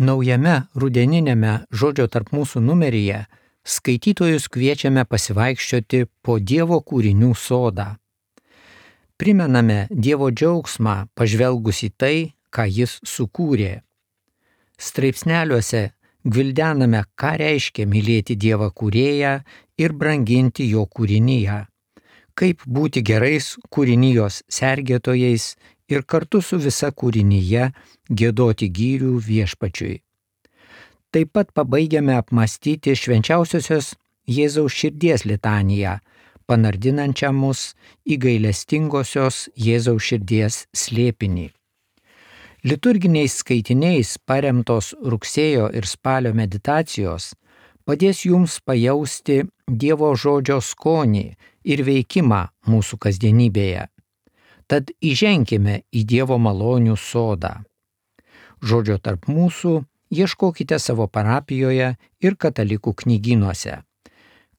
Naujame rudeniniame Žodžio tarp mūsų numeryje skaitytojus kviečiame pasivaikščioti po Dievo kūrinių sodą. Primename Dievo džiaugsmą pažvelgus į tai, ką Jis sukūrė. Straipsneliuose gvildename, ką reiškia mylėti Dievą kūrėją ir branginti jo kūrinyje, kaip būti gerais kūrinijos sergėtojais ir kartu su visa kūrinyje giedoti gyrių Viešpačiui. Taip pat pabaigiame apmąstyti švenčiausiosios Jėzaus širdies litaniją, panardinančią mus į gailestingosios Jėzaus širdies slėpinį. Liturginiais skaitiniais paremtos rugsėjo ir spalio meditacijos padės jums pajausti Dievo žodžio skonį ir veikimą mūsų kasdienybėje. Tad įženkime į Dievo malonių sodą. Žodžio tarp mūsų ieškokite savo parapijoje ir katalikų knygynuose.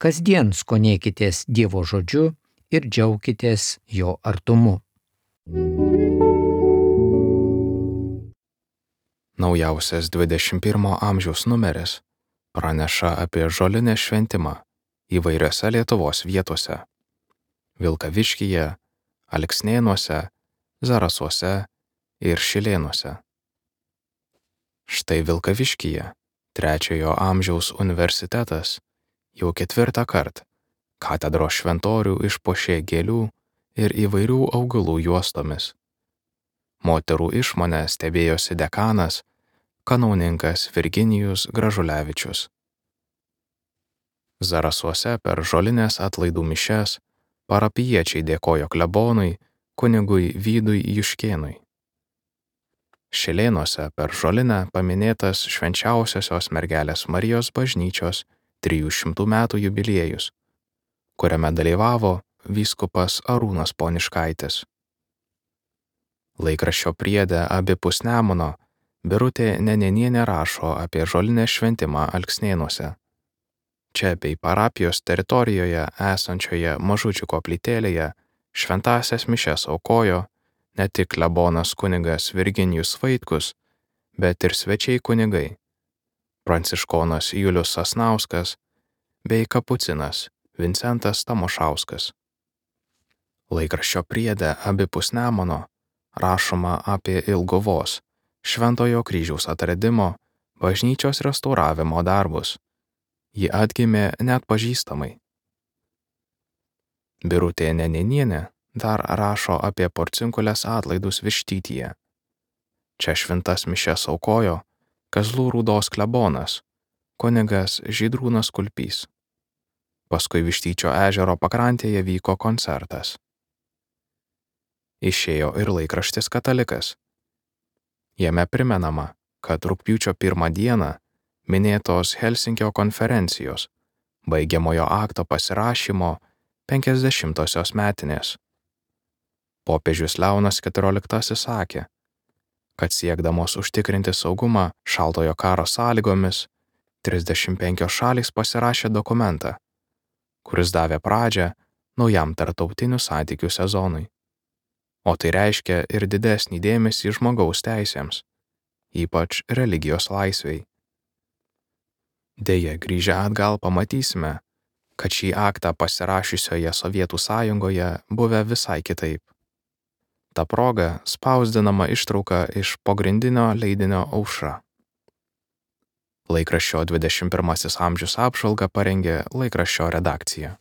Kasdien skonėkitės Dievo žodžiu ir džiaukitės jo artumu. Naujausias 21 amžiaus numeris praneša apie žolinės šventimą įvairiose Lietuvos vietose – Vilkaviškyje, Alksnėnuose, Zarasuose ir Šilėnuose. Štai Vilkaviškyje 3 amžiaus universitetas jau 4 kartą katedros šventorių išpuošė gėlių ir įvairių augalų juostomis. Moterų išmonę stebėjosi dekanas, kanauninkas Virginijus Gražulevičius. Zarasuose per žolinės atlaidų mišias parapijiečiai dėkojo klebonui kunigui Vydui Juškėnui. Šilėnuose per žolinę paminėtas švenčiausiosios mergelės Marijos bažnyčios 300 metų jubiliejus, kuriame dalyvavo vyskupas Arūnas Poniškaitis. Laikraščio priede abipus Nemuno Birutė Nenenienė rašo apie žolinės šventimą Alksnėnuose. Čia bei parapijos teritorijoje esančioje mažučių koplytėlėje šventąsias mišias aukojo ne tik klebonas kunigas Virginijus Vaitkus, bet ir svečiai kunigai – pranciškonas Julius Sasnauskas bei kapucinas Vincentas Tamošauskas. Laikraščio priede abipus Nemuno rašoma apie Ilguvos Šventojo kryžiaus atradimo bažnyčios restauravimo darbus. Ji atgimė neatpažįstamai. Birutė Nenenienė dar rašo apie Porcinkulės atlaidus Vištytyje. Čia šventas mišias aukojo Kazlų Rūdos klebonas, kunigas Žydrūnas Kulpys. Paskui Vištyčio ežero pakrantėje vyko koncertas. Išėjo ir laikraštis Katalikas. Jame primenama, kad rugpjūčio 1 dieną minėtos Helsinkio konferencijos baigiamojo akto pasirašymo 50-osios metinės. Popiežius Leonas XIV sakė, kad siekdamos užtikrinti saugumą šaltojo karo sąlygomis 35 šalys pasirašė dokumentą, kuris davė pradžią naujam tarptautinių santykių sezonui. O tai reiškia ir didesnį dėmesį žmogaus teisėms, ypač religijos laisvei. Deja, grįžę atgal pamatysime, kad šį aktą pasirašiusioje Sovietų sąjungoje buvę visai kitaip. Ta proga spausdinama ištrauka iš pogrindinio leidinio Aušra. Laikraščio 21 amžius apžvalgą parengė laikraščio redakcija.